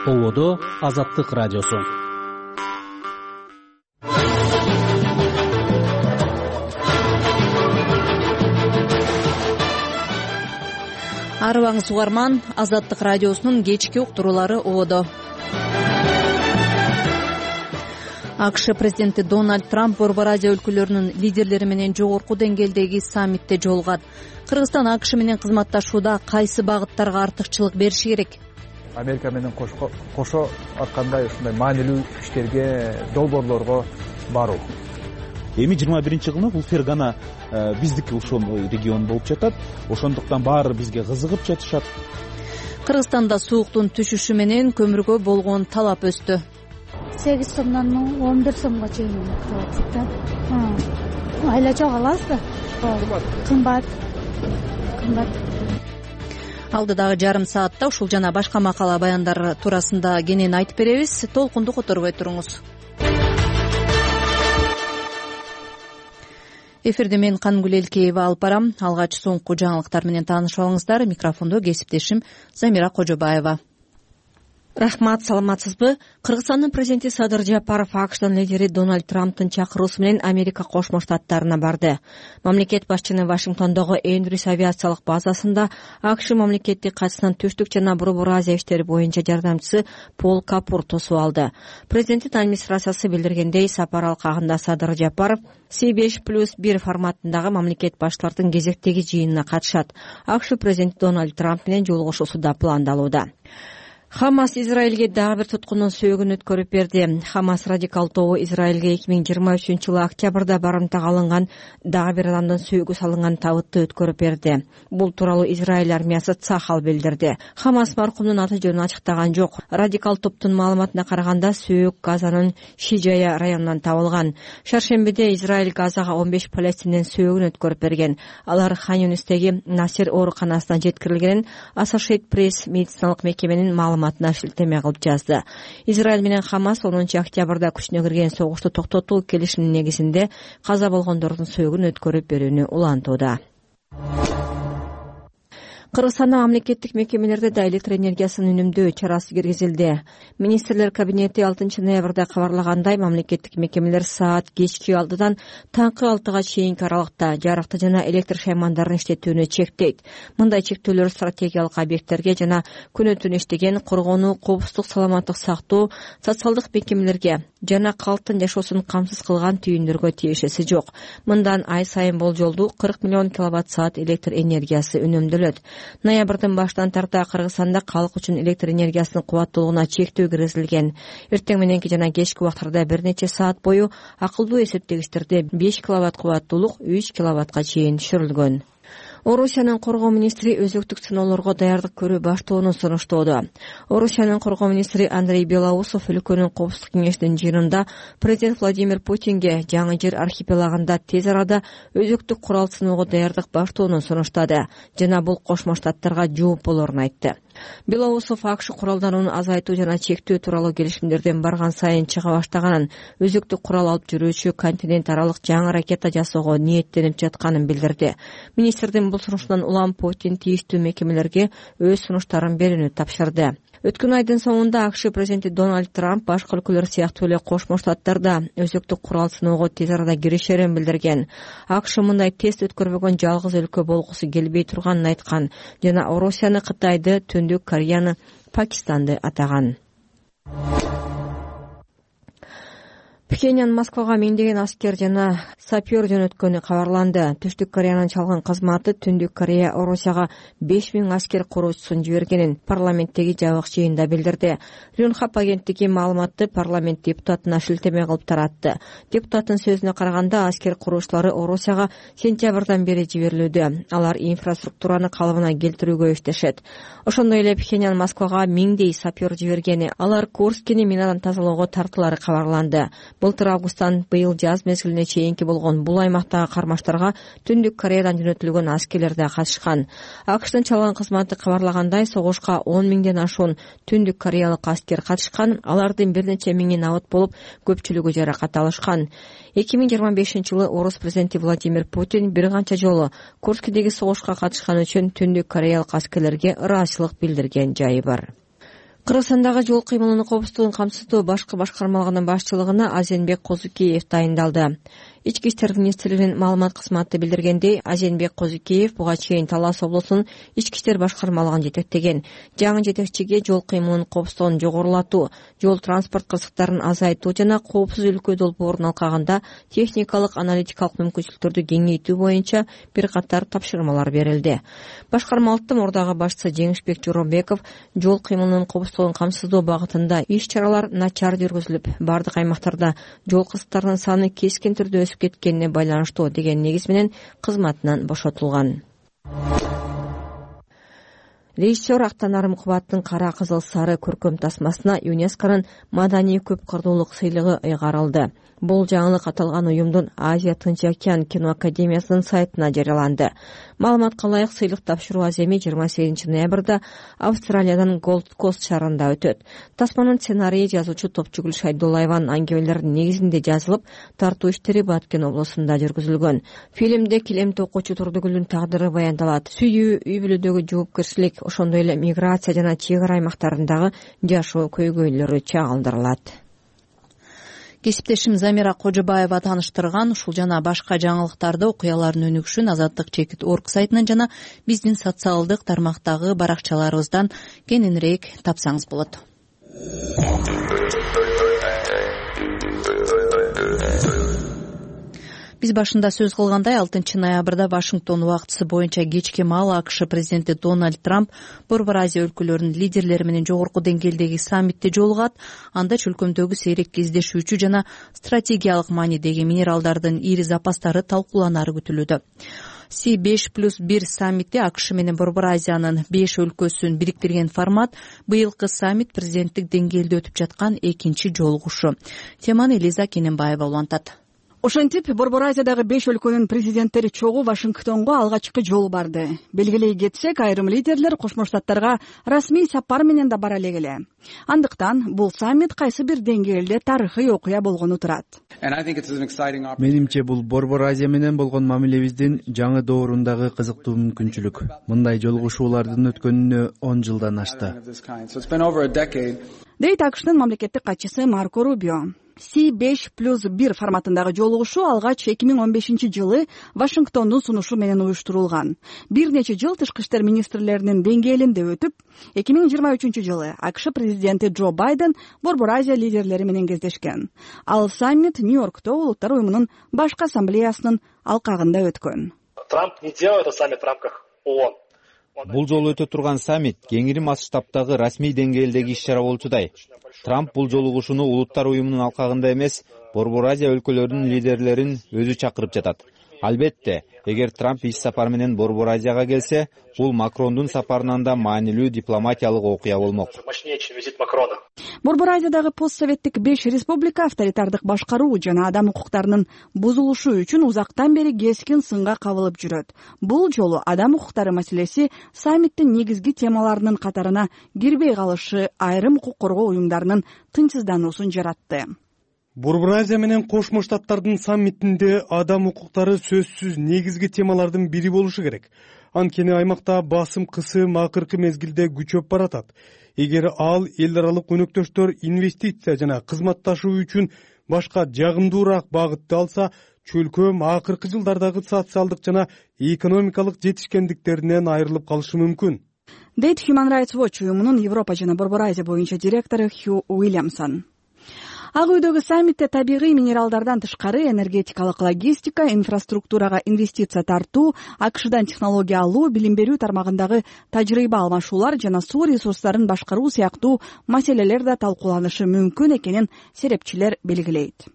Ободо Азаттык радиосу. Арыбаңыз угарман, Азаттык радиосунун кечки уктуруулары ободо. АКШ президенти Дональд Трамп Борбор Азия өлкөлөрүнүн лидерлери менен жогорку деңгээлдеги саммитте жолугат. Кыргызстан АКШ менен кызматташууда кайсы багыттарга артыкчылык бериши керек? Америка менен кошо аткандай ушундай маанилүү иштерге, долбоорлорго баруу. Эми 21-жылы бул Фергана биздики ушул регион болуп жатат. Ошондуктан баары бизге кызыгып жатышат. Кыргызстанда сууктун түшүшү менен көмүргө болгон талап өстү. 8 сомдон 11 сомго чейин кылып атат. Айла жок алабыз да. Кымбат. Алдыдагы жарым саатта ушул жана башка макала баяндар туурасында кенен айтып беребиз. Толкунду которбой туруңуз. Эфирде мен Кангүл Элкеева алып барам. Алгач соңку жаңылыктар менен таанышып алыңыздар. Микрофондо кесиптешим Замира Кожобаева. Рахмат, саламатсызбы? Кыргызстандын президенти Садыр Жапаров АКШдын лидери Дональд Трамптын чакыруусу менен Америка Кошмо Штаттарына барды. Мамлекет башчынын Вашингтондогу Эндрюс авиациялык базасында АКШ мамлекеттик катчысынын түштүк жана Борбор Азия иштери боюнча жардамчысы Пол Капур тосуп алды. Президенттин администрациясы билдиргендей, сапар алкагында Садыр Жапаров C5+1 форматындагы мамлекет башчылардын кезектеги жыйынына катышат. АКШ президенти Дональд Трамп менен жолугушуусу да пландалууда. Хамас Израилге дагы бир туткундун сөөгүн өткөрүп берди. Хамас радикал тобу Израилге 2023-жылы октябрда барымтага алынган дагы бир адамдын сөөгү салынган табытты өткөрүп берди. Бул тууралуу Израиль армиясы Цахал билдирди. Хамас маркумдун аты жөнүн ачыктаган жок. Радикал топтун маалыматына караганда сөөк Газанын Шижая районунан табылган. Шаршембиде Израиль Газага 15 палестиндин сөөгүн өткөрүп берген. Алар Хан Юнистеги Насир ооруканасына жеткирилгенин Associated Press медициналык мекеменин маалыматына шилтеме кылып жазды. Израиль менен Хамас 10 октябрда күчүнө кирген согушту токтотуу келишиминин негизинде каза болгондордун сөөгүн өткөрүп берүүнү улантууда. Кыргызстанда мамлекеттик мекемелерде да электр энергиясын үнөмдөө чарасы киргизилди. Министрлер кабинети 6 ноябрда кабарлагандай, мамлекеттик мекемелер саат кечки 6-дан таңкы 6-га чейинки аралыкта жарыкты жана электр шаймандарын иштетүүнү чектейт. Мындай чектөөлөр стратегиялык объекттерге жана күнү түнү иштеген коргонуу, коопсуздук, саламаттык сактоо, социалдык мекемелерге жана калктын жашоосун камсыз кылган түйүндөргө тиешеси жок. Мындан ай сайын болжолдуу 40 миллион киловатт-саат электр энергиясы үнөмдөлөт. Ноябрдын башынан тарта Кыргызстанда калк үчүн электр энергиясынын кубаттуулугуна чектөө киргизилген. Эртең мененки жана кечки убактарда бир нече саат бою акылдуу эсептегичтерде 5 киловатт кубаттуулук 3 киловаттка чейин түшүрүлгөн. Орусиянын коргоо министри өзөктүк сыноолорго даярдык көрүү баштоону сунуштоодо. Орусиянын коргоо министри Андрей Белоусов өлкөнүн коопсуздук кеңешинин жыйынында президент Владимир Путинге жаңы жер архипелагында тез арада өзөктүк курал сыноого даярдык баштоону сунуштады жана бул Кошмо Штаттарга жооп болорун айтты. Белоусов АКШ куралданууну азайтуу жана чектөө тууралуу келишимдерден барган сайын чыга баштаганын, өзөктүк курал алып жүрүүчү континент аралык жаңы ракета жасоого ниеттенип жатканын билдирди. Министрдин бул сунушунан улам Путин тийиштүү мекемелерге өз сунуштарын берүүнү тапшырды. Өткөн айдын соңунда АКШ президенти Дональд Трамп башка өлкөлөр сыяктуу эле Кошмо Штаттарда өзөктүк курал сыноого тез арада киришерин билдирген. АКШ мындай тест өткөрбөгөн жалгыз өлкө болгусу келбей турганын айткан жана Орусияны, Кытайды, Түндүк Кореяны, Пакистанды атаган. Пхеньян Москвага миңдеген аскер жана сапер жөнөткөнү кабарланды. Түштүк Кореянын чалгын кызматы Түндүк Корея Орусияга 5000 аскер куруучусун жибергенин парламенттеги жабык жыйында билдирди. Рюнхап агенттиги маалыматты парламент депутатына шилтеме кылып таратты. Депутаттын сөзүнө караганда, аскер куруучулары Орусияга сентябрдан бери жиберилүүдө. Алар инфраструктураны калыбына келтирүүгө иштешет. Ошондой эле Пхеньян Москвага миңдей сапер жибергени, алар Курскини минадан тазалоого тартылары кабарланды. Былтыр августтан быйыл жаз мезгилине чейинки болгон бул аймактагы кармаштарга Түндүк Кореядан жөнөтүлгөн аскерлер да катышкан. АКШтын чалган кызматы кабарлагандай, согушка 10 миңден ашуун Түндүк Кореялык аскер катышкан. Алардын бир нече миңи набыт болуп, көпчүлүгү жаракат алышкан. 2025-жылы орус президенти Владимир Путин бир канча жолу Курскидеги согушка катышкан үчүн Түндүк Кореялык аскерлерге ыраазычылык билдирген жайы бар. Кыргызстандагы жол кыймылынын коопсуздугун камсыздоо башкы башкармалыгынын башчылыгына Азенбек Козукеев дайындалды. Ички иштер министрлигинин маалымат кызматы билдиргендей, Азенбек Козукеев буга чейин Талас облусунун ички иштер башкармалыгын жетектеген. Жаңы жетекчиге жол кыймылынын коопсуздугун жогорулатуу, жол транспорт кырсыктарын азайтуу жана коопсуз өлкө долбоорун алкагында техникалык аналитикалык мүмкүнчүлүктөрдү кеңейтүү боюнча бир катар тапшырмалар берилди. Башкармалыктын мурдагы башчысы Жеңишбек Жоробеков жол кыймылынын коопсуздугун камсыздоо багытында иш-чаралар начар жүргүзүлүп, бардык аймактарда жол кырсыктарынын саны кескин түрдө өсүп кеткенине байланыштуу деген негиз менен кызматынан бошотулган. Режиссер Актанар Мукбаттын Кара кызыл сары көркөм тасмасына ЮНЕСКОнун маданий көп кырдуулук сыйлыгы ыйгарылды. Бул жаңылык аталган уюмдун Азия Тынч океан кино академиясынын сайтына жарыяланды. Маалыматка ылайык, сыйлык тапшыруу аземи 28 ноябрда Австралиядан Голд Кост шаарында өтөт. Тасманын сценарийи жазуучу Топчугүл Шайдуллаеванын аңгемелеринин негизинде жазылып, тартуу иштери Баткен облусунда жүргүзүлгөн. Фильмде килем токуучу Турдугүлдүн тагдыры баяндалат. Сүйүү, үй бүлөдөгү жоопкерчилик, ошондой эле миграция жана чек ара аймактарындагы жашоо көйгөйлөрү чагылдырылат. Кесиптешим Замира Кожобаева тааныштырган ушул жана башка жаңылыктарды, окуялардын өнүгүшүн Азаттык.org сайтынан жана биздин социалдык тармактагы баракчаларыбыздан кененирээк тапсаңыз болот. Биз башында сөз кылгандай 6 ноябрда Вашингтон убактысы боюнча кечки маал АКШ президенти Дональд Трамп Борбор Азия өлкөлөрүнүн лидерлери менен жогорку деңгээлдеги саммитте жолугат. Анда чөлкөмдөгү сейрек кездешүүчү жана стратегиялык маанидеги минералдардын ири запастары талкууланары күтүлүүдө. C5+1 саммити АКШ менен Борбор Азиянын 5 өлкөсүн бириктирген формат. Быйылкы саммит президенттик деңгээлде өтүп жаткан экинчи жолугушу. Теманы Элиза Кененбаева улантат. Ошентип, Борбор Азиядагы 5 өлкөнүн президенттери чогуу Вашингтонго алгачкы жолу барды. Белгилей кетсек, айрым лидерлер Кошмо Штаттарга расмий сапар менен да бара элек. Андыктан бул саммит кайсы бир деңгээлде тарыхый окуя болгону турат. Менимче бул Борбор Азия менен болгон мамилебиздин жаңы доорундагы кызыктуу мүмкүнчүлүк. Мындай жолугушуулардын өткөнүнө 10 жылдан ашты. Дейт АКШтын мамлекеттик катчысы Марко Рубио. C5+1 форматындагы жолугушуу алгач 2015-жылы Вашингтондун сунушу менен уюштурулган. Бир нече жыл тышкы иштер министрлеринин деңгээлинде өтүп, 2023-жылы АКШ президенти Джо Байден Борбор Азия лидерлери менен кездешкен. Ал саммит Нью-Йоркто Улуттар уюмунун башкы ассамблеясынын алкагында өткөн. Трамп не делает этот саммит в рамках ООН. Бул жолу өтө турган саммит кеңири масштабтагы расмий деңгээлдеги иш-чара болчудай. Трамп бул жолугушууну Улуттар уюмунун алкагында эмес, Борбор Азия өлкөлөрүнүн лидерлерин өзү чакырып жатат. Албетте, эгер Трамп иш сапар менен Борбор Азияга келсе, бул Макрондун сапарынан да маанилүү дипломатиялык окуя болмок. Борбор Азиядагы постсоветтик 5 республика авторитардык башкаруу жана адам укуктарынын бузулушу үчүн узактан бери кескин сынга кабылып жүрөт. Бул жолу адам укуктары маселеси саммиттин негизги темаларынын катарына кирбей калышы айрым укук коргоо уюмдарынын тынчсыздануусун жаратты. Борбор Азия менен Кошмо Штаттардын саммитинде адам укуктары сөзсүз негизги темалардын бири болушу керек. Анткени аймакта басым кысым акыркы мезгилде күчөп баратат. Эгер ал эл аралык өнөктөштөр инвестиция жана кызматташуу үчүн башка жагымдуураак багытты алса, чөлкөм акыркы жылдардагы социалдык жана экономикалык жетишкендиктеринен айрылып калышы мүмкүн. Дейт Human Rights Watch уюмунун Европа жана Борбор Азия боюнча директору Хью Уильямсон. Ак үйдөгү саммитте табигый минералдардан тышкары энергетикалык логистика, инфраструктурага инвестиция тартуу, АКШдан технология алуу, билим берүү тармагындагы тажрыйба алмашуулар жана суу ресурстарын башкаруу сыяктуу маселелер да талкууланышы мүмкүн экенин серепчилер белгилейт.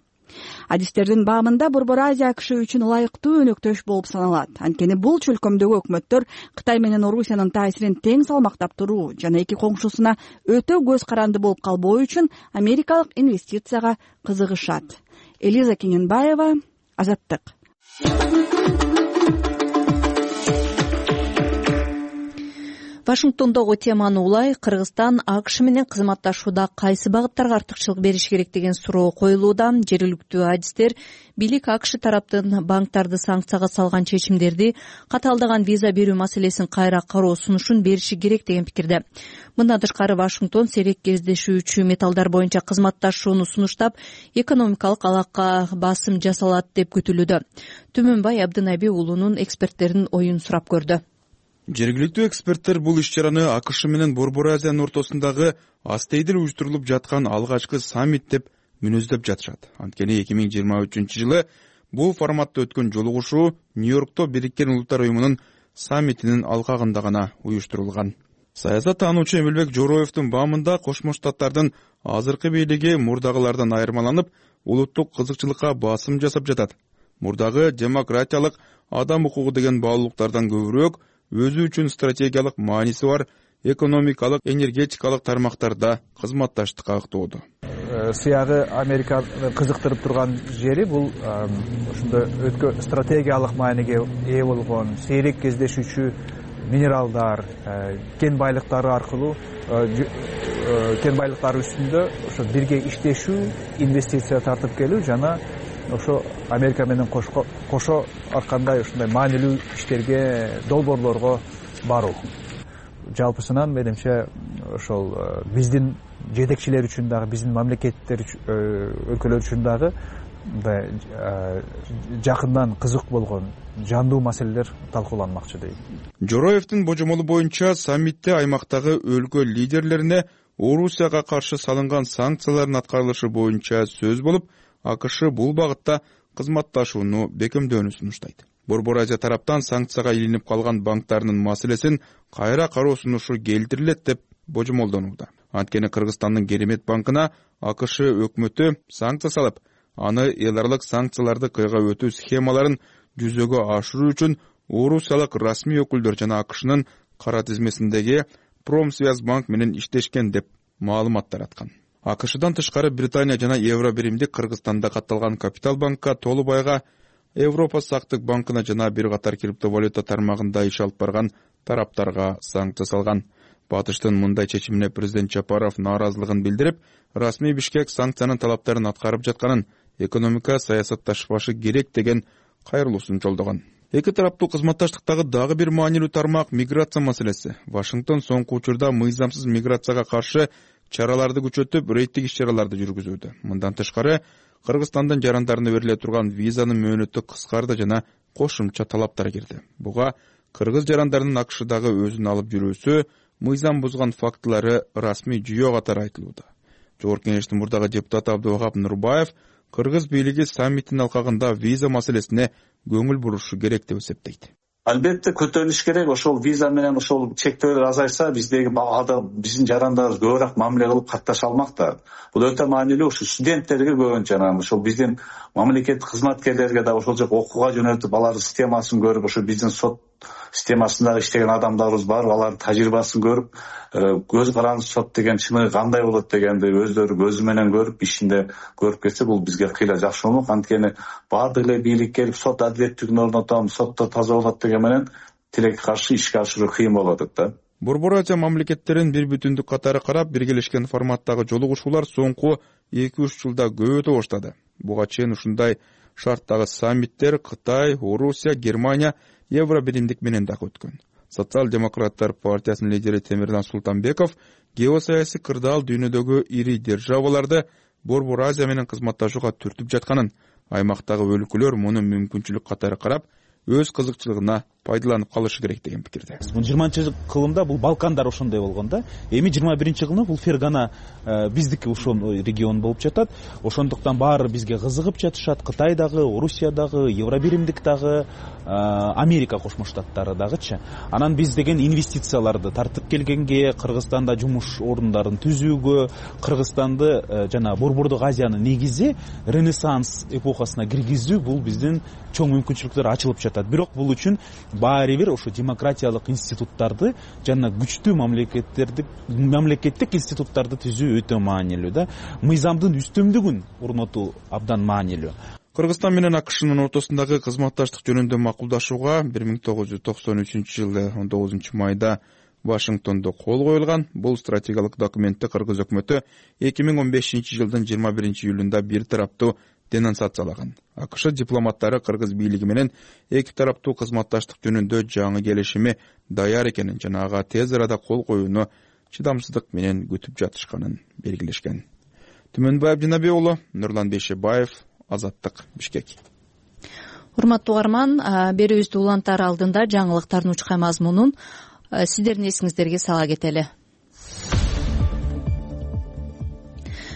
Адистердин баамында Борбор Азия АКШ үчүн ылайыктуу өнөктөш болуп саналат. Анткени бул чөлкөмдөгү өкмөттөр Кытай менен Орусиянын таасирин тең салмактап туруу жана эки коңшусуна өтө көз каранды болуп калбоо үчүн америкалык инвестицияга кызыгышат. Элиза Кененбаева, Азаттык. Вашингтондогу теманы улай Кыргызстан АКШ менен кызматташууда кайсы багыттарга артыкчылык бериш керек деген суроо коюлууда. Жергиликтүү адистер бийлик АКШ тараптын банктарды санкцияга салган чечимдерди катаалдаган виза берүү маселесин кайра кароо сунушун бериши керек деген пикирде. Мындан тышкары Вашингтон сейрек кездешүүчү металлдар боюнча кызматташууну сунуштап, экономикалык алакка басым жасалат деп күтүлүүдө. Түмөнбай Абдынаби уулунун эксперттердин оюн сурап көрдү. Жергиликтүү эксперттер бул иш-чараны АКШ менен Борбор Азиянын ортосундагы астейдил уюштурулуп жаткан алгачкы саммит деп мүнөздөп жатышат. Анткени 2023-жылы бул форматта өткөн жолугушуу Нью-Йоркто Бириккен Улуттар уюмунун саммитинин алкагында гана уюштурулган. Саясат таануучу Эмилбек Жороевдун баамында Кошмо Штаттардын азыркы бийлиги мурдагылардан айырмаланып, улуттук кызыкчылыкка басым жасап жатат. Мурдагы демократиялык, адам укугу деген баалуулуктардан көбүрөөк өзү үчүн стратегиялык мааниси бар экономикалык, энергетикалык тармактарда кызматташтыкка ыктоодо. Сыягы Американы кызыктырып турган жери бул ошондо стратегиялык мааниге ээ болгон сейрек кездешүүчү минералдар, кен байлыктары аркылуу кен байлыктары үстүндө ошо бирге иштешүү, инвестиция тартып келүү жана ошо Америка менен кошо аркандай ушундай маанилүү иштерге, долбоорлорго баруу. Жалпысынан менимче ошол биздин жетекчилер үчүн дагы, биздин мамлекеттер өлкөлөр үчүн дагы жакындан кызык болгон жандуу маселелер талкууланмакчы дейм. Жороевдин божомолу боюнча саммитте аймактагы өлкө лидерлерине Орусияга каршы салынган санкциялардын аткарылышы боюнча сөз болуп, АКШ бул багытта кызматташууну бекемдөөнү сунуштайт. Борбор Азия тараптан санкцияга илинип калган банктардын маселесин кайра кароо сунушу келтирилет деп божомолдонууда. Анткени Кыргызстандын Керемет банкына АКШ өкмөтү санкция салып, аны эларлык санкцияларды кыйга өтүү схемаларын жүзөгө ашыруу үчүн Орусиялык расмий өкүлдөр жана АКШнын кара тизмесиндеги Промсвязьбанк менен иштешкен деп маалымат тараткан. АКШдан тышкары Британия жана Евробиримдик Кыргызстанда катталган Капитал банкка, Толубайга, Европа сактык банкына жана бир катар криптовалюта тармагында иш алып барган тараптарга санкция салган. Батыштын мындай чечимине президент Жапаров нааразылыгын билдирип, расмий Бишкек санкциянын талаптарын аткарып жатканын, экономика саясатташпашы керек деген кайрылуусун жолдогон. Эки тараптуу кызматташтыктагы дагы бир маанилүү тармак миграция маселеси. Вашингтон соңку учурда мыйзамсыз миграцияга каршы чараларды күчөтүп, рейдтик иш-чараларды жүргүзүүдө. Мындан тышкары, Кыргызстандын жарандарына бериле турган визанын мөөнөтү кыскарды жана кошумча талаптар кирди. Буга кыргыз жарандарынын АКШдагы өзүн алып жүрүүсү, мыйзам бузган фактылары расмий жүйө катары айтылууда. Жогорку Кеңештин мурдагы депутаты Абдывахап Нурбаев кыргыз бийлиги саммиттин алкагында виза маселесине көңүл бурушу керек деп эсептейт. Албетте көтөрүлүш керек. Ошол виза менен ошол чектөөлөр азайса, биздин жарандарыбыз көбүрөөк мамиле кылып катташа алмак да. Бул өтө маанилүү. Ошо студенттерге көбүнчө ошол биздин мамлекеттик кызматкерлерге да ошол жака окууга жөнөтүп, алардын системасын көрүп, ошо биздин сот системасында иштеген адамдарыбыз бар, алардын тажрыйбасын көрүп, көз каранды сот деген чыныгы кандай болот дегенди өздөрү көзү менен көрүп, ишинде көрүп кетсе, бул бизге кыйла жакшы болмок. Анткени баардык эле бийлик келип сот адилеттүүлүгүн орнотом, сотто таза болот деген менен тилекке каршы ишке ашыруу кыйын болуп атат да. Борбор Азия мамлекеттерин бир бүтүндүк катары карап, биргелешкен форматтагы жолугушуулар соңку 2-3 жылда көбөйтө баштады. Буга чейин ушундай шарттагы саммиттер Кытай, Орусия, Германия, Евробиримдик менен дагы өткөн. Социал-демократтар партиясынын лидери Темирдан Султанбеков геосаясий кырдаал дүйнөдөгү ири державаларды Борбор Азия менен кызматташууга түртүп жатканын, аймактагы өлкөлөр муну мүмкүнчүлүк катары карап, өз кызыкчылыгына пайдаланып калышы керек деген пикирде. 20-кылымда бул Балкандар ошондой болгон да. Эми 21-кылымда бул Фергана биздики ошол регион болуп жатат. Ошондуктан баары бизге кызыгып жатышат. Кытай дагы, Орусия дагы, Евробиримдик дагы, Америка Кошмо Штаттары дагычы. Анан биз деген инвестицияларды тартып келгенге, Кыргызстанда жумуш орундарын түзүүгө, Кыргызстанды жана Борбордук Азиянын негизи Ренессанс эпохасына киргизүү бул биздин чоң мүмкүнчүлүктөр ачылып жатат. Бирок бул үчүн баары бир ошо демократиялык институттарды жана күчтүү мамлекеттик институттарды түзүү өтө маанилүү да. Мыйзамдын үстөмдүгүн орнотуу абдан маанилүү. Кыргызстан менен АКШнын ортосундагы кызматташтык жөнүндө макулдашууга 1993 жылы 19 майда Вашингтондо кол коюлган. Бул стратегиялык документти Кыргыз өкмөтү 2015 жылдын 21 июлунда бир тараптуу денонсациялаган. АКШ дипломаттары Кыргыз бийлиги менен эки тараптуу кызматташтык жөнүндө жаңы келишими даяр экенин жана ага тез арада кол коюуну чыдамсыздык менен күтүп жатышканын белгилешкен. Түмөнбаев Жанабек уулу, Нурлан Бейшебаев, Азаттык, Бишкек. Урматтуу угарман, берүүбүздү улантаар алдында жаңылыктардын учкай мазмунун сиздердин эсиңиздерге сала кетели.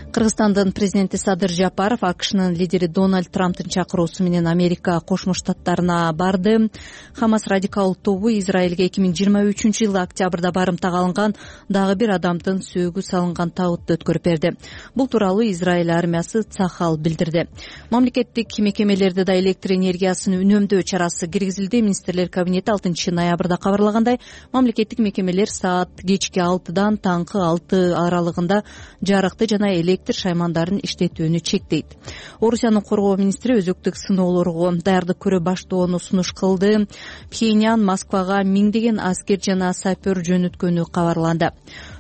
Кыргызстандын президенти Садыр Жапаров АКШнын лидери Дональд Трамптын чакыруусу менен Америка Кошмо Штаттарына барды. Хамас радикал тобу Израилге 2023 жылы октябрда барымтага алынган дагы бир адамдын сөөгү салынган табытты өткөрүп берди. Бул тууралуу Израиль армиясы Цахал билдирди. Мамлекеттик мекемелерде да электр энергиясын үнөмдөө чарасы киргизилди. Министрлер кабинети 6 ноябрда кабарлагандай, мамлекеттик мекемелер саат кечки 6-дан таңкы 6 аралыгында жарыкты жана электр шаймандарын иштетүүнү чектейт. Орусиянын коргоо министри өзөктүк сыноолорго даярдык көрө баштоону сунуш кылды. Пхеньян Москвага миңдеген аскер жана сапер жөнөткөнү кабарланды.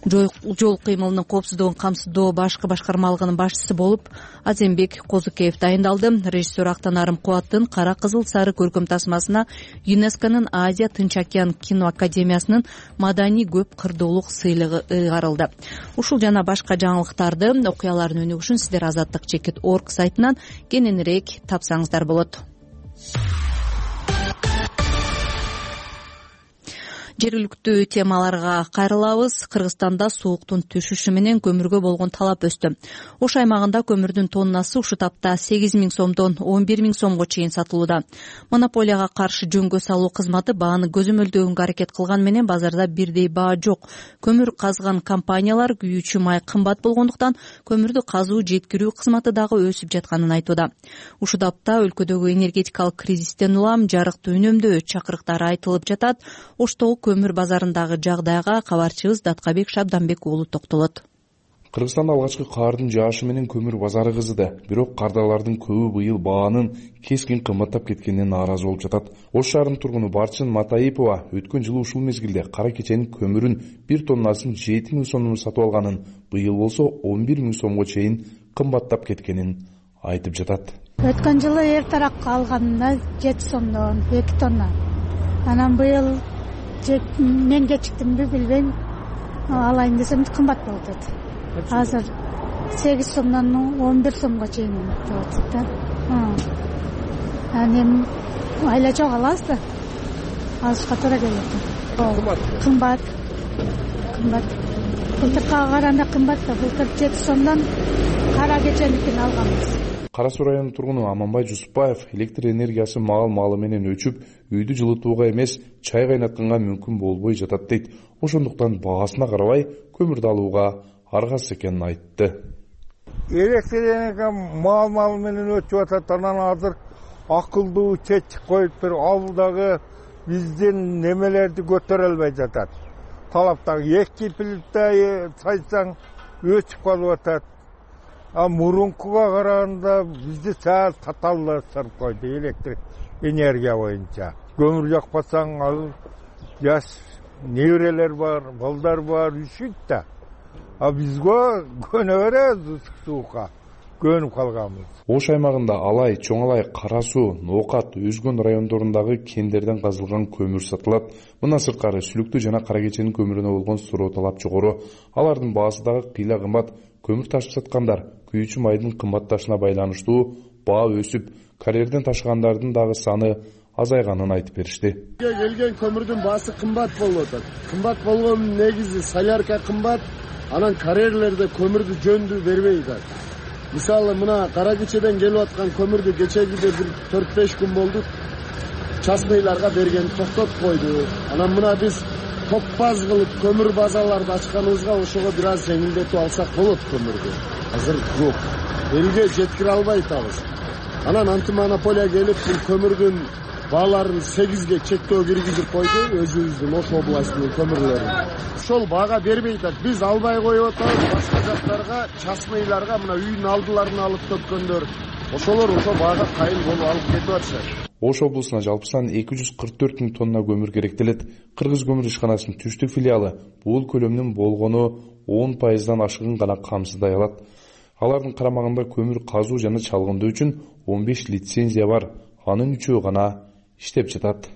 Жол кыймылынын коопсуздугун камсыздоо башкы башкармалыгынын башчысы болуп Азембек Козукеев дайындалды. Режиссер Актанарым Кубаттын Кара кызыл сары көркөм тасмасына ЮНЕСКОнун Азия Тынч океан кино академиясынын маданий көп кырдуулук сыйлыгы ыйгарылды. Ушул жана башка жаңылыктарды, окуялардын өнүгүшүн сиздер azattik.org сайтынан кененирээк тапсаңыздар болот. Жергиликтүү темаларга кайрылабыз. Кыргызстанда сууктун түшүшү менен көмүргө болгон талап өстү. Ош аймагында көмүрдүн тоннасы ушул тапта 8.000 сомдон 11.000 сомго чейин сатылууда. Монополияга каршы жөнгө салуу кызматы бааны көзөмөлдөгөнгө аракет кылган менен базарда бирдей баа жок. Көмүр казган компаниялар күйүүчү май кымбат болгондуктан көмүрдү казуу жеткирүү кызматы дагы өсүп жатканын айтууда. Ушул тапта өлкөдөгү энергетикалык кризистен улам жарыкты үнөмдөө чакырыктары айтылып жатат. Оштогу көмүр базарындагы жагдайга кабарчыбыз Даткабек Шабданбек уулу токтолот. Кыргызстанда алгачкы кардын жаашы менен көмүр базары кызыды. Бирок кардарлардын көбү быйыл баанын кескин кымбаттап кеткенине нааразы болуп жатат. Ош шаарынын тургуну Барчын Матаипова өткөн жылы ушул мезгилде кара кеченин көмүрүн 1 тоннасын 7.000 сомдон сатып алганын, быйыл болсо 11.000 сомго чейин кымбаттап кеткенин айтып жатат. Өткөн жылы эртерээк алганында 7 сомдон 2 тонна. Анан быйыл мен кечиктимби билбейм, алайын десем кымбат болуп атат. Азыр 8 сомдон 11 сомго чейин болуп атат да. Анан айла жок алабыз да. Алышка туура келет. Кымбат. Былтыркыга караганда кымбат да. Былтыр 7 сомдон кара кеченикин алганбыз. Кара Суу районунун тургуну Аманбай Жусупбаев электр энергиясы маал-маалы менен өчүп, үйдү жылытууга эмес, чай кайнатканга мүмкүн болбой жатат дейт. Ошондуктан баасына карабай көмүрдү алууга аргасыз экенин айтты. Электр энергия маал-маалы менен өчүп атат. Анан азыр акылдуу чечик коюп бир абылдагы биздин немелерди көтөрө албай жатат. Талаптагы 2 плита сайсаң өчүп калып атат. Мурункуга караганда бизди саал татаалдаштырып койду электр энергия боюнча. Көмүр жакпасаң ал жаш неберелер бар, балдар бар, üşüйт да. Бизге көнө беребиз суукка. Көнүп калганбыз. Ош аймагында Алай, Чоң Алай, Кара Суу, Ноокат, Өзгөн райондорундагы кендерден казылган көмүр сатылат. Мындан сырткары Сүлүктүү жана Кара Кеченин көмүрүнө болгон суроо талап жогору. Алардын баасы дагы кыйла кымбат. Көмүр ташып саткандар күйүүчү майдын кымбатташына байланыштуу баа өсүп, карьерден ташыгандардын дагы саны азайганын айтып беришти. Келген көмүрдүн баасы кымбат болуп атат. Кымбат болгонун негизи солярка кымбат, анан карьерлерде көмүрдү жөндүү бербей атат. Мисалы мына Кара Кечеден келип аткан көмүрдү кечегиде бир 4-5 күн болду. Частныйларга берген токтотуп койду. Анан мына биз топпаз кылып көмүр базаларды ачканыбызга ошого бир аз жеңилдетип алсак болот көмүрдү. Азыр жок. Элге жеткире албай атабыз. Анан антимонополия келип бул көмүрдүн бааларын 8ге чектөө киргизип койду, өзүбүздүн Ош областынын көмүрлөрүн. Ошол баага бербей атат. Биз албай коюп атабыз башка жактарга, частныйларга, мына үйдүн алдыларына алып төккөндөр. Ошолор ошо баага кайыл болуп алып кетип атышат. Ош облусуна жалпы саны 244 000 тонна көмүр керектелет. Кыргыз көмүр ишканасынын түштүк филиалы бул көлөмдүн болгону 10% ашыгын гана камсыздай алат. Алардын карамагында көмүр казуу жана чалгындоо үчүн 15 лицензия бар. Анын 3-өө гана иштеп жатат.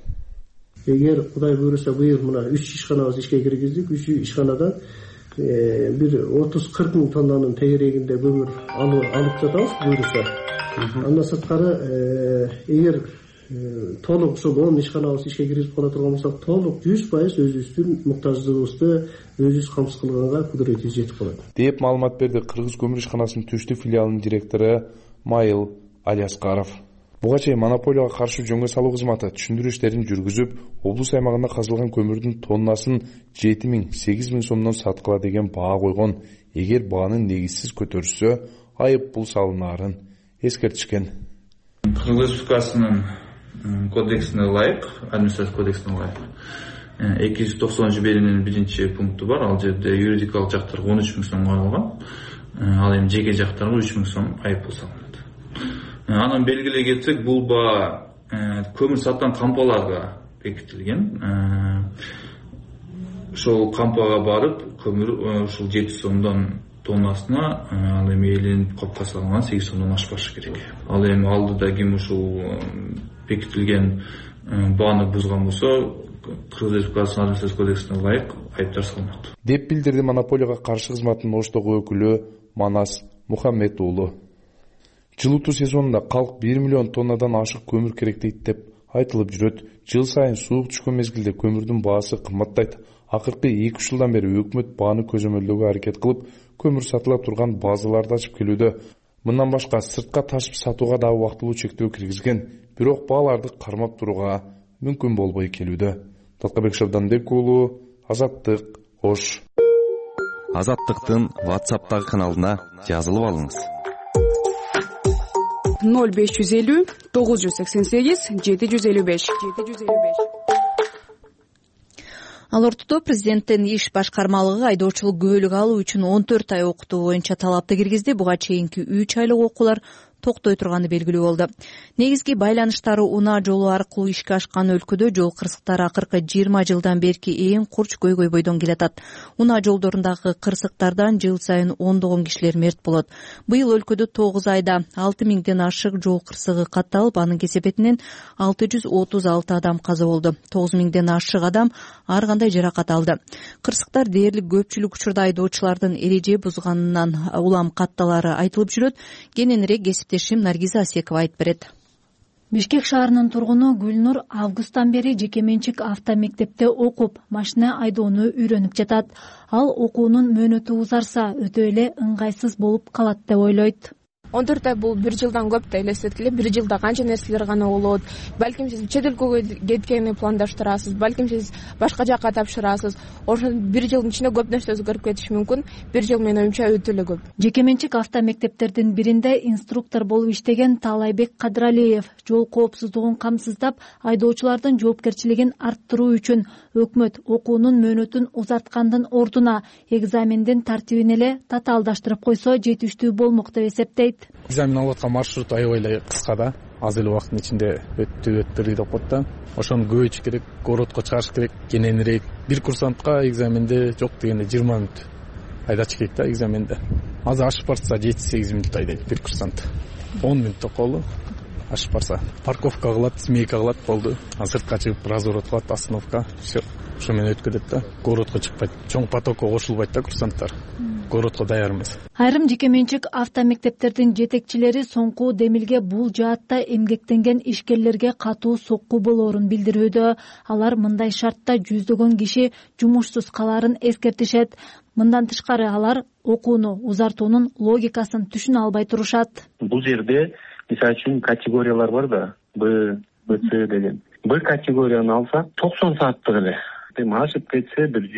Эгер Кудай буйруса быйыл мына 3 ишканабыз ишке киргиздик. 3 ишканадан бир 30-40 000 тоннанын тегерегинде көмүр алып жатабыз буйруса. Андан сырткары эгер толук ошол 10 ишканабыз ишке киргизип кала турган болсок, толук 100% өзүбүздүн муктаждыгыбызды өзүбүз камсыз кылганга кудуретибиз жетип калат деп маалымат берди Кыргыз көмүр ишканасынын түштүк филиалынын директору Майыл Алияскаров. Буга чейин монополияга каршы жөнгө салуу кызматы түшүндүрүү иштерин жүргүзүп, облус аймагында казылган көмүрдүн тоннасын 7 000 – 8 000 сомдон саткыла деген баа койгон. Эгер бааны негизсиз көтөрүлсө, айып пул салынаарын эскертишкен. Кыргыз Республикасынын кодексине ылайык, административдик кодексине ылайык 290-биринин 1-пункту бар. Ал жерде юридикалык жактарга 13 000 сом коюлган. Ал эми жеке жактарга 3 000 сом айып пул салынат. Анан белгилей кетсек, бул баа көмүр саткан кампаларга бекитилген. Ошол кампага барып, көмүр ушул 7 сомдон тоннасына ал эми эленип копко салынган 8 сомдон ашпашы керек. Ал эми алдыда ким ушул бекитилген бааны бузган болсо, Кыргыз Республикасынын административдик кодексине ылайык айыптар салынат. Деп билдирди монополияга каршы кызматтын Оштогу өкүлү Манас Мухаммед уулу. Жылытуу сезонунда калк 1 миллион тоннадан ашык көмүр керектейт деп айтылып жүрөт. Жыл сайын суук түшкөн мезгилде көмүрдүн баасы кымбаттайт. Акыркы 2 жылдан бери өкмөт бааны көзөмөлдөөгө аракет кылып, көмүр сатыла турган базаларды ачып келүүдө. Мындан башка сыртка ташып сатууга да убактылуу чектөө киргизген. Бирок бааларды кармап турууга мүмкүн болбой келүүдө. Талкабек Шабданбек уулу, Азаттык, Ош. Азаттыктын WhatsApp'тагы каналына жазылып алыңыз. 0550 988 755. Ал ортодо президенттин иш башкармалыгы айдоочулук күбөлүк алуу үчүн 14 ай окутуу боюнча талапты киргизди. Буга чейинки 3 айлык окуулар токтой турганы белгилүү болду. Негизги байланыштары унаа жолу аркылуу ишке ашкан өлкөдө жол кырсыктары акыркы 20 жылдан берки эң курч көйгөй бойдон келатат. Унаа жолдорундагы кырсыктардан жыл сайын ондогон кишилер мерт болот. Быйыл өлкөдө 9 айда 6 000ден ашык жол кырсыгы катталып, анын кесепетинен 636 адам каза болду. 9 000ден ашык адам ар кандай жаракат алды. Кырсыктар дээрлик көпчүлүк учурда айдоочулардын эреже бузганынан улам катталары айтылып жүрөт. Кененирээк Наргиза Асекова айтып берет. Бишкек шаарынын тургуну Гүлнур августтан бери жеке менчик автомектепте окуп, машина айдоону үйрөнүп жатат. Ал окуунун мөөнөтү узарса, өтө эле ыңгайсыз болуп калат деп ойлойт. 14 ай бул 1 жылдан көп да элестеткиле. 1 жылда канча нерселер гана болот. Балким сиз чет өлкөгө кеткени пландаштырасыз, балким сиз башка жакка тапшырасыз. Ошо 1 жылдын ичинде көп нерсе өзгөрүп кетиши мүмкүн. 1 жыл менин оюмча өтө эле көп. Жеке менчик автомектептердин биринде инструктор болуп иштеген Таалайбек Кадралиев жол коопсуздугун камсыздап, айдоочулардын жоопкерчилигин арттыруу үчүн өкмөт окуунун мөөнөтүн узарткандын ордуна экзамендин тартибин эле татаалдаштырып койсо жетиштүү болмок деп эсептейт. Экзамен алып аткан маршрут аябай эле кыска да, аз эле убакыттын ичинде өттүрүү деп коет да. Ошону көбөйтүш керек, городко чыгарыш керек, кененирээк. Бир курсантка экзаменде жок дегенде 20 мүнөт айдачы керек да экзаменде. Азыр ашып барса 7-8 мүнөт айдайт бир курсант. 10 мүнөттө калды. Ашып барса парковка кылат, смейка кылат, болду. Сыртка чыгып разворот кылат, остановка. Ошо менен өткөзөт да. Городко чыкпайт. Чоң потокко кошулбайт да курсанттар. Городко даяр эмес. Айрым жеке менчик автомектептердин жетекчилери соңку демилге бул жаатта эмгектенген ишкерлерге катуу сокку болоорун билдирүүдө. Алар мындай шартта жүздөгөн киши жумушсуз калаарын эскертишет. Мындан тышкары алар окууну узартуунун логикасын түшүнө албай турушат. Бул жерде мисалы үчүн категориялар бар да, Б, С деген. Б категорияны алсак 90 сааттык эле. Эми ашып кетсе бир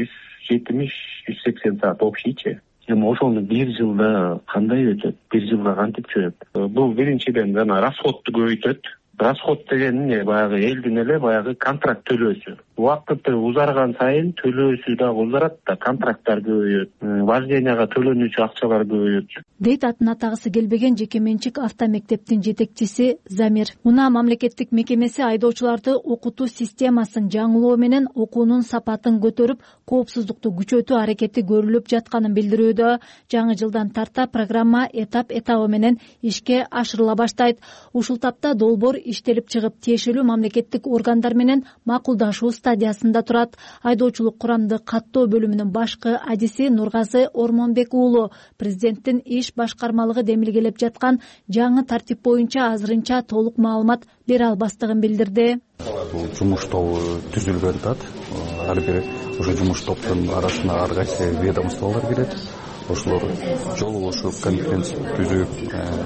170-180 саат общийчи. Эми ошону 1 жылда кандай өтөт? 1 жылда кантип чөп? Бул биринчиден жана расходду көбөйтөт. Расход деген эмне? Баягы элдин эле баягы контракт төлөөсү. убакыт узарган сайын төлөөсү дагы узарат да, контракттар көбөйөт, вожденияга төлөнүүчү акчалар көбөйөт, дейт атын атагысы келбеген жеке менчик автомектептин жетекчиси Замир. УНА мамлекеттик мекемеси айдоочуларды окутуу системасын жаңылоо менен окуунун сапатын көтөрүп, коопсуздукту күчөтүү аракети көрүлүп жатканын билдирүүдө. Жаңы жылдан тарта программа этап менен ишке ашырыла баштайт. Ушул тапта долбоор иштелип чыгып, тиешелүү мамлекеттик органдар менен макулдашуу стадиясында турат. Айдоочулук курамды каттоо бөлүмүнүн башкы адиси Нургазы Ормонбек уулу президенттин иш башкармалыгы демилгелеп жаткан жаңы тартип боюнча азырынча толук маалымат бере албастыгын билдирди. Бул жумуш тобу түзүлгөн тат. Ар бир ошо жумуш топтун арасына ар кайсы ведомстволор кирет. Ошолор жолугушуп, конференция түзүп,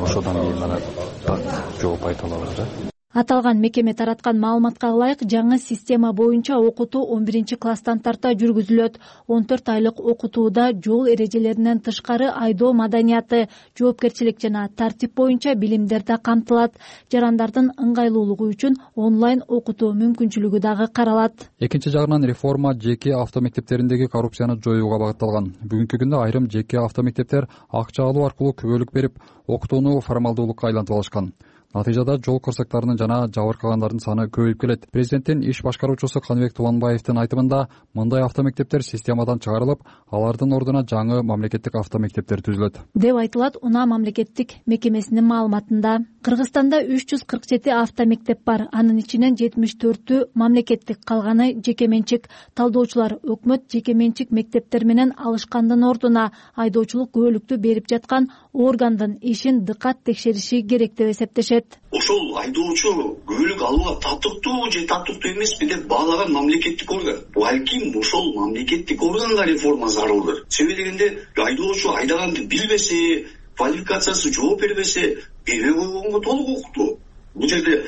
ошодон кийин анан так жооп айта алабыз да. Аталган мекеме тараткан маалыматка ылайык, жаңы система боюнча окутуу 11-класстан тарта жүргүзүлөт. 14 айлык окутууда жол эрежелеринен тышкары айдоо маданияты, жоопкерчилик жана тартип боюнча билимдер да камтылат. Жарандардын ыңгайлуулугу үчүн онлайн окутуу мүмкүнчүлүгү дагы каралат. Экинчи жагынан реформа жеке автомектептериндеги коррупцияны жоюуга багытталган. Бүгүнкү күндө айрым жеке автомектептер акча алуу аркылуу күбөлүк берип, окутууну формалдуулукка айлантып алышкан. Натыйжада жол кырсыктарынын жана жабыркагандардын саны көбөйүп келет. Президенттин иш башкаруучусу Каныбек Тубанбаевдин айтымында, мындай автомектептер системадан чыгарылып, алардын ордуна жаңы мамлекеттик автомектептер түзүлөт деп айтылат УНА мамлекеттик мекемесинин маалыматында. Кыргызстанда 347 автомектеп бар. Анын ичинен 74-түү мамлекеттик, калганы жеке менчик. Талдоочулар өкмөт жеке менчик мектептер менен алышкандын ордуна айдоочулук күбөлүктү берип жаткан органдын ишин дыкат текшериши керек деп эсептешет. Ошол айдоочу күбөлүк алууга татыктуу же татыктуу эмеспи деп баалаган мамлекеттик орган. Балким ошол мамлекеттик органга реформа зарылдыр. Себеби дегенде айдоочу айдаганды билбесе, квалификациясы жооп бербесе, бербей койгонго толук укуктуу. Бул жерде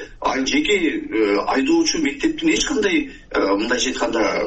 жеке айдоочу мектептин эч кандай мындайча айтканда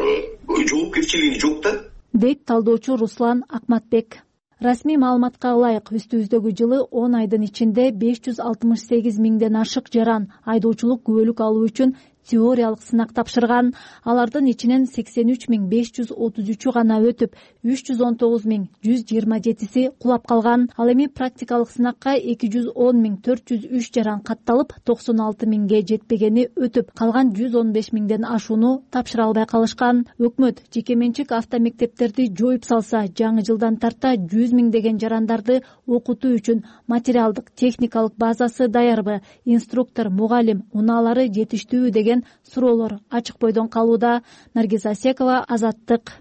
жоопкерчилиги жок да, дейт талдоочу Руслан Акматбек. Расмий маалыматка ылайык, үстүбүздөгү жылы 10 айдын ичинде 568 миңден ашык жаран айдоочулук күбөлүк алуу үчүн теориялык сынак тапшырган. Алардын ичинен 83.533 гана өтүп, 319.127 кулап калган. Ал эми практикалык сынакка 210.403 жаран катталып, 96.000ге жетпегени өтүп, калган 115.000ден ашууну тапшыра албай калышкан. Өкмөт жеке менчик автомектептерди жоюп салса, жаңы жылдан тарта 100.000 деген жарандарды окутуу үчүн материалдык, техникалык базасы даярбы, инструктор, мугалим, унаалары жетиштүүбү деген суроолор ачык бойдон калууда. Наргиз Асекова, Азаттык.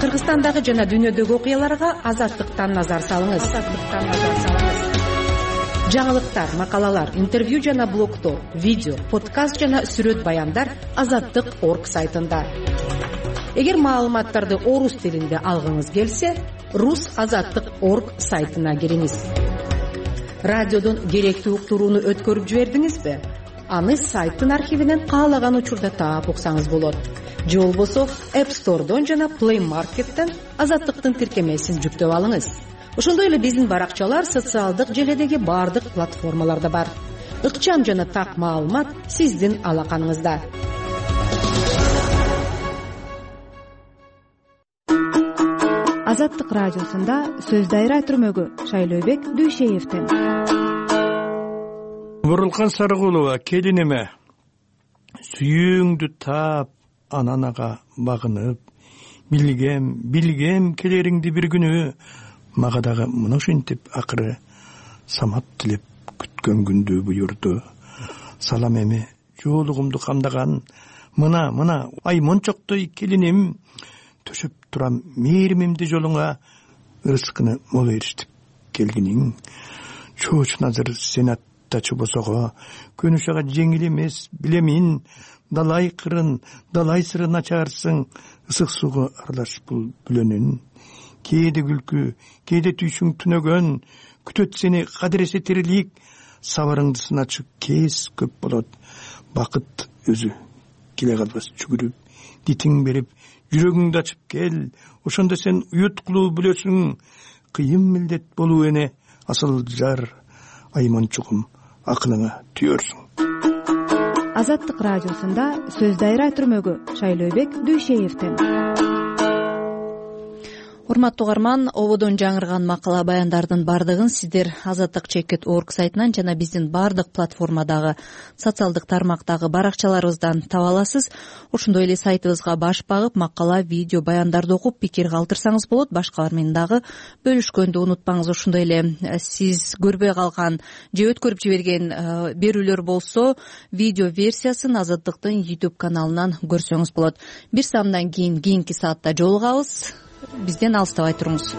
Кыргызстандагы жана дүйнөдөгү окуяларга Азаттыктан назар салыңыз. Жаңылыктар, макалалар, интервью жана блогдор, видео, подкаст жана сүрөт баяндар Азаттык.орг сайтында. Эгер маалыматтарды орус тилинде алгыңыз келсе, rusazаттык.орг сайтына кириңиз. Радиодон керектүү уктурууну өткөрүп жибердиңизби? Аны сайттын архивинен каалаган учурда таап уксаңыз болот. Же болбосо App Store'дон жана Play Market'тен Азаттыктын тиркемесин жүктөп алыңыз. Ошондой эле биздин баракчалар социалдык желедеги бардык платформаларда бар. Ыкчам жана так маалымат сиздин алаканыңызда. Азаттык радиосунда сөз дайра түрмөгү Шайлообек Дүйшеевден. Бурулкан Сарыгулова, келиниме сүйүүңдү таап, ананага багынып, билгем келериңди бир күнү, мага дагы мына ушинтип акыры самат тилеп күткөн күндү буйурду. Салам эми жоолугумду камдаган мына ай мончоктой келиним, төшөп турам мээримимди жолуңа, ырыскыны мол бериштип келгиниң. Чоочун азыр сенаттачы босого, көнүш ага жеңил эмес, билемин. Далай кырын, далай сырын ачарсың, ысык сууга аралаш бул бүлөнүн. Кээде күлкү, кээде түйшүң түнөгөн, күтөт сени кадыресе тирилик, сабарыңды сыначы кез көп болот. Бакыт өзү келе калбас жүгүрүп, дитиң берип, жүрөгүңдү ачып кел, ошондо сен уюткулуу билесиң, кыйын милдет болуу эне, асыл жар, айманчугум акылыңа түйөрсүң. Азаттык радиосунда сөз дайра түрмөгү Шайлообек Дүйшеевден. Урматтуу угарман, ободон жаңырган макала баяндардын бардыгын сиздер azattik.org сайтынан жана биздин бардык платформадагы социалдык тармактагы баракчаларыбыздан таба аласыз. Ошондой эле сайтыбызга баш багып, макала, видео, баяндарды окуп, пикир калтырсаңыз болот. Башкалар менен дагы бөлүшкөндү унутпаңыз. Ошондой эле сиз көрбөй калган же өткөрүп жиберген берүүлөр болсо, видео версиясын Азаттыктын YouTube каналынан көрсөңүз болот. Бир саамдан кийин кийинки саатта жолугабыз. Бизден алыстабай туруңуз.